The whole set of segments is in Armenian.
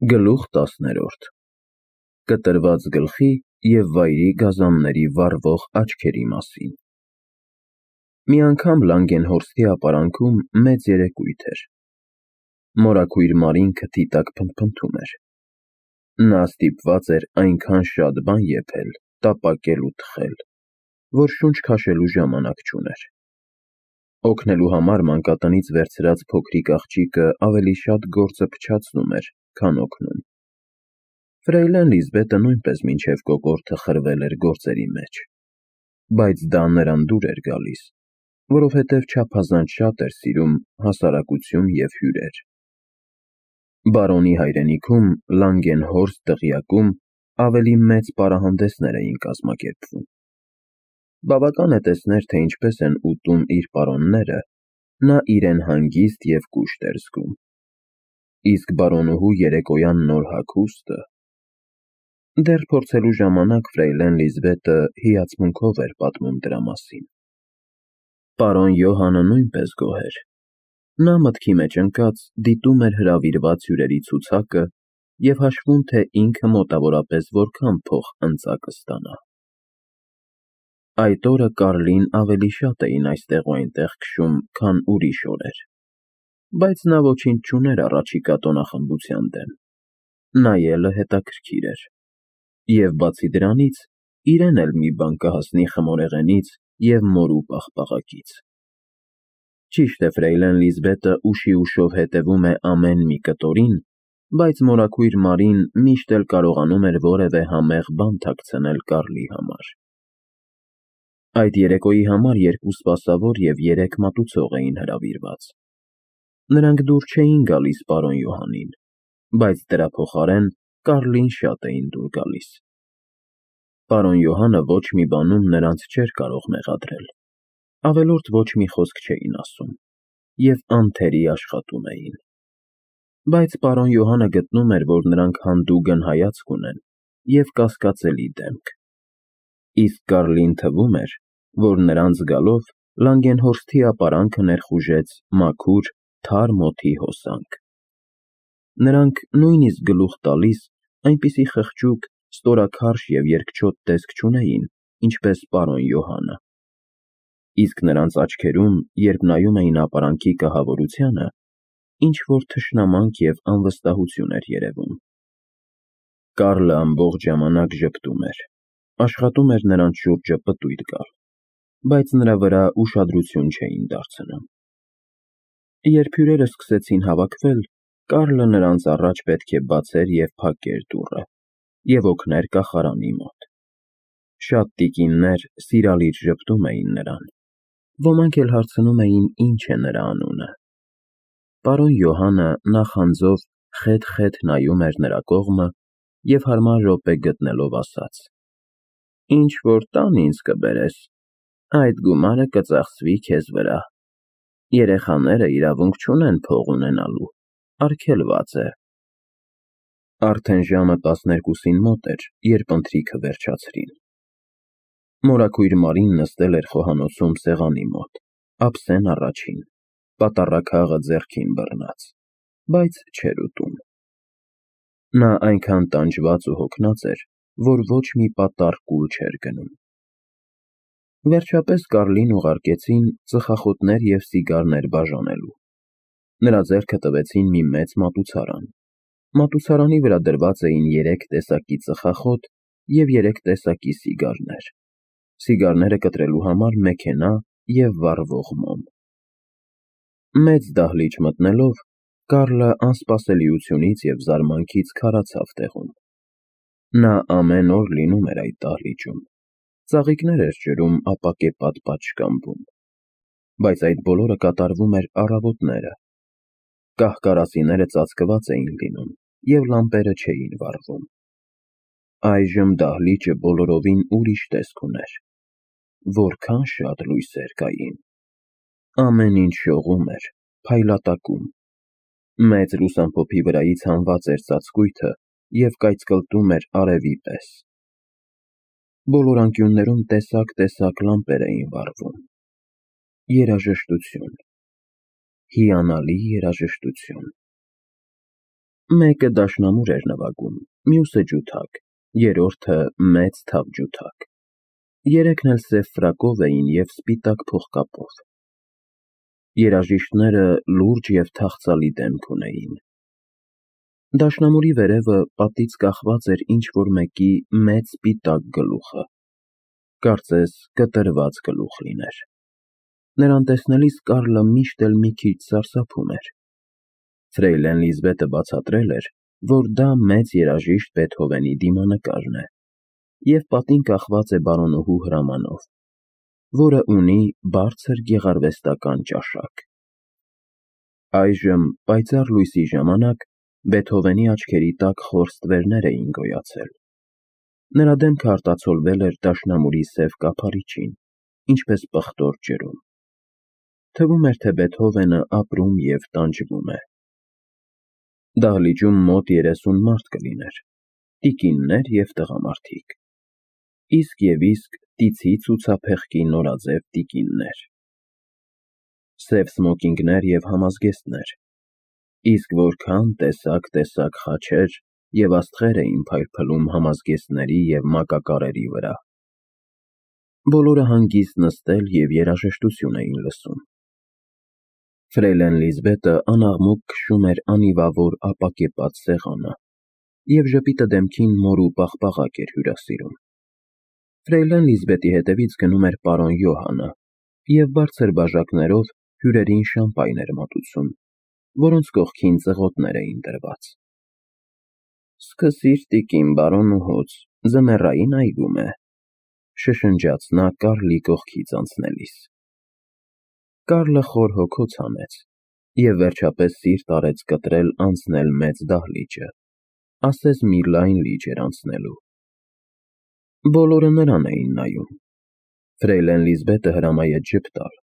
Գլուխ 10-րդ Կտրված գլխի և վայրի գազանների վառվող աչքերի մասին։ Մի անգամ Լանգենհորսթի ապարանքում մեծ երեկույթ էր։ Մորաքույր Մարին քթի տակ փնթփնթում էր։ Նա ստիպված էր այնքան շատ բան եփել, տապակել ու թխել, որ շունչ քաշելու ժամանակ չուներ։ Օգնելու համար մանկատնից վերցրած փոքրիկ աղջիկը ավելի շատ գործը փչացնում էր, քան օգնում։ Ֆրեյլեն Լիզբետը նույնպես մինչև կոկորդը խրվել էր գործերի մեջ, բայց դա նրան դուր էր գալիս, որովհետև չափազանց շատ էր սիրում հասարակություն և հյուրեր։ Բարոնի հայրենիքում Լանգենհորսթ դղյակում ավելի մեծ պարահանդեսներ էին կազմակերպվում։ Բավական է տեսներ, թե ինչպես են ուտում իր պարոնները, նա իրեն հանգիստ և կուշտ էր զգում։ Իսկ բարոնուհու երեկոյան նոր հագուստը… Դեռ փորձելու ժամանակ Ֆրեյլեն Լիզբետը հիացմունքով էր պատմում դրա մասին։ Պարոն Յոհանը նույնպես գոհ էր։ Նա մտքի մեջ ընկած դիտում էր հրավիրված հյուրերի ցուցակը և հաշվում, թե ինքը մոտավորապես որքան փող ընծա կստանա։ Այդ օրը Կարլին ավելի շատ էին այստեղ ու այնտեղ քշում, քան ուրիշ օրեր, բայց նա ոչինչ չուներ առաջիկա տոնախմբության դեմ։ Նայելը հետաքրքիր էր։ Եվ բացի դրանից, իրեն էլ մի բան կհասնի խմորեղենից և մորու պաղպաղակից։ Ճիշտ է, Ֆրեյլեն Լիզբետը ուշի ուշով հետևում է ամեն մի կտորին, բայց մորաքույր Մարին միշտ էլ կարողանում էր որևէ համեղ բան թաքցնել Կարլի համար։ Այդ երեկոյի համար 2 սպասավոր և 3 մատուցող էին հրավիրված։ Նրանք դուր չէին գալիս պարոն Յոհանին, բայց դրա փոխարեն Կարլին շատ էին դուր գալիս։ Պարոն Յոհանը ոչ մի բանում նրանց չէր կարող մեղադրել, ավելորդ ոչ մի խոսք չէին ասում և անթերի աշխատում էին։ Բայց պարոն Յոհանը գտնում էր, որ նրանք հանդուգն հայացք ունեն և կասկածելի դեմք։ Իսկ Կարլին թվում էր, որ նրանց գալով Լանգենհորսթի ապարանքը ներխուժեց մաքուր, թարմ օդի հոսանք։ Նրանք նույնիսկ գլուխ տալիս այնպիսի խղճուկ, ստորաքարշ և երկչոտ տեսք չունեին, ինչպես պարոն Յոհանը։ Իսկ նրանց աչքերում, երբ նայում էին ապարանքի կահավորությանը, ինչ-որ թշնամանք և անվստահություն էր երևում։ Կարլը ամբողջ ժամանակ ժպտում էր, աշխատում էր նրանց շուրջը պտույտ գալ, բայց նրա վրա ուշադրություն չէին դարձնում։ Երբ հյուրերը սկսեցին հավաքվել, Կարլը նրանց առաջ պետք է բացեր և փակեր դուռը և օգներ կախարանի մոտ։ Շատ տիկիններ սիրալիր ժպտում էին նրան, ոմանք էլ հարցնում էին ինչ է նրա անունը։ Պարոն Յոհանը նախանձով խեթ-խեթ նայում էր նրա կողմը և հարմար րոպե գտնելով ասաց. «Ինչ-որ տան ինձ կբերես, այդ գումարը կծախսվի քեզ վրա։ Երեխաները իրավունք չունեն փող ունենալու, արգելված է»։ Արդեն ժամը 12-ին մոտ էր, երբ ընթրիքը վերջացրին։ Մորաքույր Մարին նստել էր խոհանոցում սեղանի մոտ, ափսեն առաջին, պատառաքաղը ձեռքին բռնած, բայց չէր ուտում։ Նա այնքան տանջված ու հոգնած էր, որ ոչ մի պատառ կուլ չէր գնում։ Վերջապես Կարլին ուղարկեցին ծխախոտներ և սիգարներ բաժանելու։ Նրա ձեռքը տվեցին մի մեծ մատուցարան։ Մատուցարանի վրա դրված էին 3 տեսակի ծխախոտ և 3 տեսակի սիգարներ, սիգարները կտրելու համար մեքենա և վառվող մոմ։ Մեծ դահլիճ մտնելով, Կարլը անսպասելիությունից և զարմանքից քարացավ տեղում։ Նա ամեն օր լինում էր այդ դահլիճում, ծաղիկներ էր ջրում ապակեպատ պատշգամբում, բայց այդ բոլորը կատարվում էր առավոտները։ Կահ֊կարասիները ծածկված էին լինում և լամպերը չէին վառվում։ Այժմ դահլիճը բոլորովին ուրիշ տեսք ուներ։ Որքան շատ լույսեր կային։ Ամեն ինչ շողում էր, փայլատակում։ Մեծ լուսամփոփի վրայից հանված էր ծածկույթը և կայծկլտում էր արևի պես։ Բոլոր անկյուններում տեսակ լամպեր էին վառվում։ Երաժշտություն, հիանալի երաժշտություն։ Մեկը դաշնամուր էր նվագում, մյուսը ջութակ, երրորդը մեծ թավ ջութակ։ Երեքն էլ սև ֆրակով էին և սպիտակ փողկապով։ Երաժիշտները լուրջ և թախծալի դեմք ունեին։ Դաշնամուրի վերևը պատից կախված էր ինչ-որ մեկի մեծ սպիտակ գլուխը, կարծես կտրված գլուխ լիներ։ Նրան տեսնելիս Կարլը միշտ էլ մի քիչ սարսափում էր։ Ֆրեյլեն Լիզբետը բացատրել էր, որ դա մեծ երաժիշտ Բեթհովենի դիմանկարն է և պատին կախված է բարոնուհու հրամանով, որը ունի բարձր գեղարվեստական ճաշակ։ Այժմ պայծառ լույսի ժամանակ Բեթհովենի աչքերի տակ խոր ստվերներ էին գոյացել։ Նրա դեմքը արտացոլվել էր դաշնամուրի սև կափարիչին, ինչպես պղտոր ջրում։ Թվում էր, թե Բեթհովենը ապրում և տանջվում է։ Դահլիճում մոտ 30 մարդ կլիներ, տիկիններ և տղամարդիկ, իսկ և իսկ տիցի ցուցափեղկի նորաձև տիկիններ, սև սմոկինգներ և համազգեստներ, իսկ որքան տեսակ խաչեր և աստղեր էին փայլփլում համազգեստների և մակակարերի վրա։ Բոլորը հանգիստ նստել և երաժշտություն էին լսում։ Ֆրեյլեն Լիզբետը անաղմուկ քշում էր անիվավոր ապակեպած սեղանը և ժպիտը դեմքին մորու պաղպաղակ էր հյուրասիրում։ Ֆրեյլեն Լիզբետի հետևից գնում էր պարոն Յոհանը և բարձր բաժակներով հյուրերին շամպայն էր մատուցում, որոնց կողքին ծղոտներ էին դրված։ «Սկսիր, տիկին, բարոնուհուց, ձմեռային այգում է», շշնջաց նա Կարլի կողքից անցնելիս։ Կարլը խոր հոգոց հանեց և վերջապես սիրտ արեց կտրել անցնել մեծ դահլիճը, ասես մի լայն լիճ էր անցնելու։ Բոլորը նրան էին նայում։ Ֆրեյլեն Լիզբետը հրամայեց ժպտալ,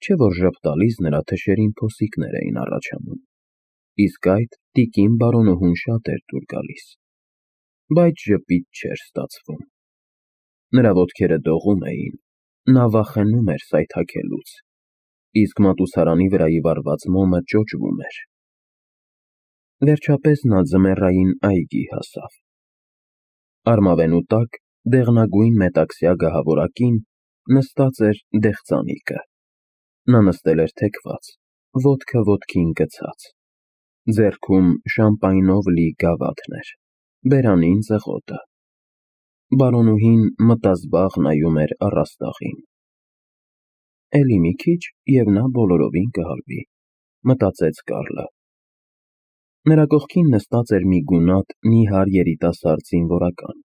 չէ՞ որ ժպտալիս նրա թշերին փոսիկներ էին առաջանում, իսկ այդ տիկին բարոնուհուն շատ էր դուր գալիս, բայց ժպիտ չէր ստացվում։ Նրա ոտքերը դողում էին, նա վախենում էր սայթաքելուց, իսկ մատուցարանի վրայի վառված մոմը ճոճվում էր։ Վերջապես նա ձմեռային այգի հասավ։ Արմավենու տակ դեղնագույն մետաքսյա գահավորակին նստած էր դեղձանիկը։ Նա նստել էր թեքված, ոտքը ոտքին գցած։ Ձեռքում շամպայնով լի գավաթն էր, բերանին ծղոտը։ Բարոնուհին մտազբաղ նայում էր առաստաղին։ «Էլի մի քիչ, և նա բոլորովին կհալվի», մտածեց Կարլը։ Նրա կողքին նստած էր մի գունատ, նիհար երիտասարդ զինվորական։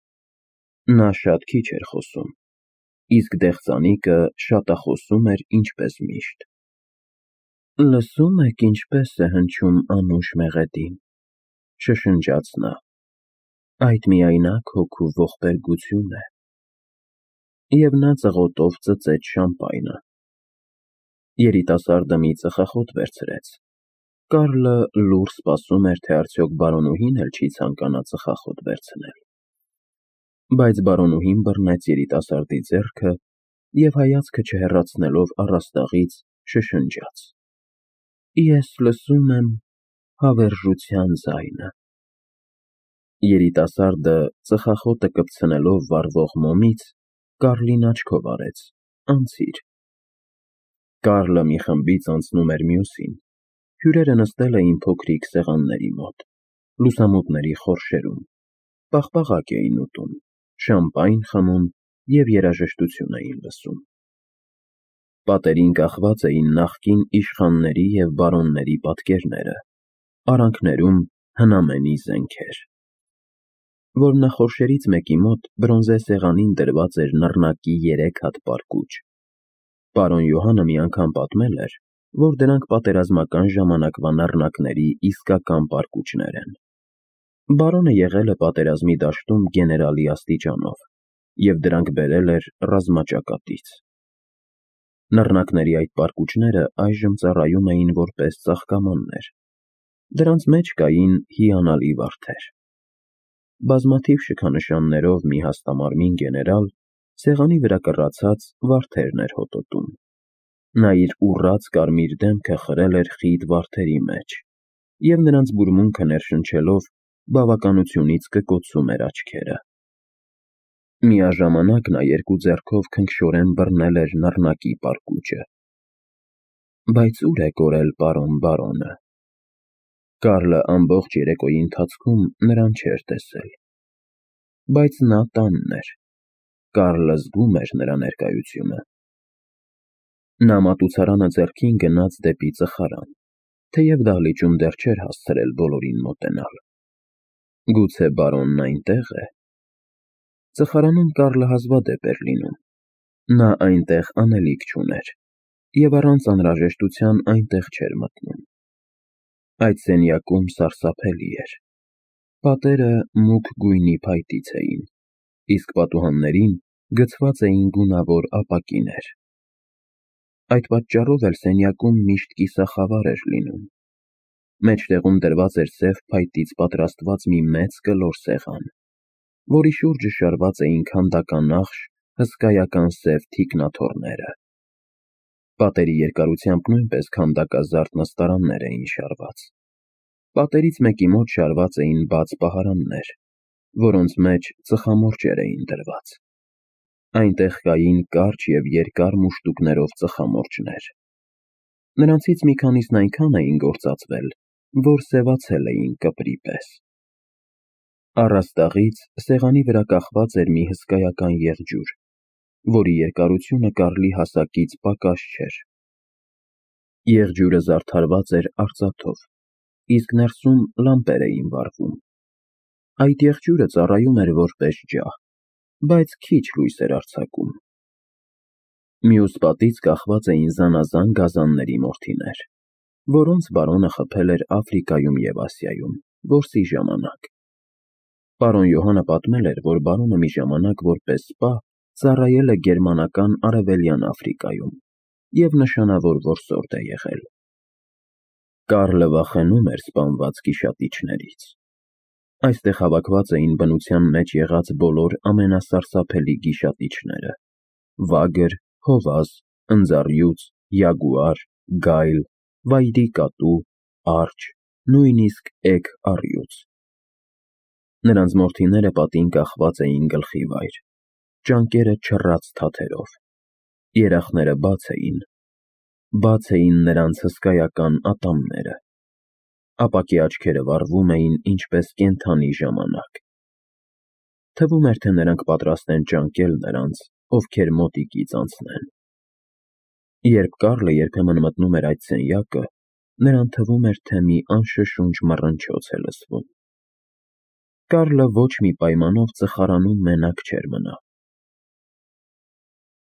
Նա շատ քիչ էր խոսում, իսկ դեղձանիկը շատախոսում էր ինչպես միշտ։ «Լսո՞ւմ եք ինչպես է հնչում անուշ մեղեդին», շշնջաց նա։ «Այդ միայնակ հոգու ողբերգություն է»։ Եվ նա ծղոտով ծծեց շամպայնը։ Երիտասարդը մի ծխախոտ վերցրեց։ Կարլը լուռ սպասում էր, թե արդյոք բարոնուհին էլ չի ցանկանա ծխախոտ վերցնել։ Բայց բարոնուհին բռնեց երիտասարդի ձեռքը և հայացքը չհեռացնելով առաստաղից շշնջաց. «Ես լսում եմ հավերժության ձայնը»։ Երիտասարդը ծխախոտը կպցնելով վառվող մոմից Կարլին աչքով արեց. «Անցիր»։ Կարլը մի խմբից անցնում էր մյուսին։ Հյուրերը նստել էին փոքրիկ սեղանների մոտ, լուսամուտների խորշերում, պաղպաղակ էին ուտում, շամպայն խմում և երաժշտություն էին լսում։ Պատերին կախված էին նախկին իշխանների և բարոնների պատկերները, արանքներում հնամենի զենքեր։ Որմնախորշերից մեկի մոտ բրոնզե սեղանին դրված էր նռնակի 3 հատ պարկուճ։ Պարոն Յոհանը մի անգամ պատմել էր, որ դրանք պատերազմական ժամանակվա նռնակների իսկական պարկուճներ են։ Բարոնը եղել է պատերազմի դաշտում գեներալի աստիճանով և դրանք բերել էր ռազմաճակատից։ Նռնակների այդ պարկուճները այժմ ծառայում էին որպես ծաղկամաններ։ Դրանց մեջ կային հիանալի վարդեր։ Բազմաթիվ շքանշաններով մի հաստամարմին գեներալ սեղանի վրա կռացած վարդերն էր հոտոտում։ Նա իր ուռած կարմիր դեմքը խրել էր խիտ վարդերի մեջ, և նրանց բուրմունքը ներշնչելով բավականությունից կկոցում էր աչքերը։ Միաժամանակ նա երկու ձեռքով քնքշորեն բռնել էր նռնակի պարկուճը։ Բայց ուր է կորել պարոն բարոնը։ Կարլը ամբողջ երեկոյի ընթացքում նրան չէր տեսել։ Բայց նա տանն էր։ Կարլը զգում էր նրա ներկայությունը։ Նա մատուցարանը ձեռքին գնաց դեպի ծխարան, թեև դահլիճում դեռ չէր հասցրել բոլորին մոտենալ։ Գուցե բարոնն այնտեղ է։ Ծխարանում Կարլը հազվադեպ էր լինում։ Նա այնտեղ անելիք չուներ և առանց անհրաժեշտության այնտեղ չէր մտնում։ Այդ սենյակում սարսափելի էր։ Պատերը մուգ գույնի փայտից էին, իսկ պատուհաններին գցված էին գունավոր ապակիներ։ Այդ պատճառով էլ սենյակում միշտ կիսախավար էր լինում։ Մեջտեղում դրված էր սև փայտից պատրաստված մի մեծ կլոր սեղան, որի շուրջը շարված էին քանդականախշ հսկայական սև թիկնաթոռները։ Պատերի երկարությամբ նույնպես քանդակազարդ նստարաններ էին շարված։ Պատերից մեկի մոտ շարված էին բաց պահարաններ, որոնց մեջ ծխամորճեր էին դրված։ Այնտեղ կային կարճ և երկար մուշտուկներով ծխամորճներ։ Նրանցից մի քանիսն այնքան էին գործածվել, որ սևացել էին կպրի պես։ Առաստաղից սեղանի վրա կախված էր մի հսկայական եղջյուր, որի երկարությունը Կարլի հասակից պակաս չէր։ Եղջյուրը զարդարված էր արծաթով, իսկ ներսում լամպեր էին վառվում։ Այդ եղջյուրը ծառայում էր որպես ջահ, բայց քիչ լույս էր արձակում։ Մյուս պատից կախված էին զանազան գազանների մորթիներ, որոնց բարոնը խփել էր Աֆրիկայում և Ասիայում, որսի ժամանակ։ Պարոն Յոհանը պատմել էր, որ բարոնը մի ժամանակ որպես սպա ծառայել է գերմանական Արևելյան Աֆրիկայում և նշանավոր որսորդ է եղել։ Կարլը վախենում էր սպանված գիշատիչներից։ Այստեղ հավաքված էին բնության մեջ եղած բոլոր ամենասարսափելի գիշատիչները՝ վագր, հովազ, ընձառյուծ, յագուար, գայլ, վայրի կատու, արջ, նույնիսկ էգ առյուծ։ Նրանց մորթիները պատին կախված էին գլխիվայր, ճանկերը չռած թաթերով։ Երախները բաց էին նրանց հսկայական ատամները։ Ապակի աչքերը վառվում էին ինչպես կենդանի ժամանակ։ Թվում էր, թե նրանք պատրաստ են ճանկել նրանց, ովքեր մոտիկից անցնեն։ Երբ Կարլը երբեմն մտնում էր այդ սենյակը, նրան թվում էր, թե մի անշշունչ մռնչոց է լսվում։ Կարլը ոչ մի պայմանով ծխարանում մենակ չէր մնա։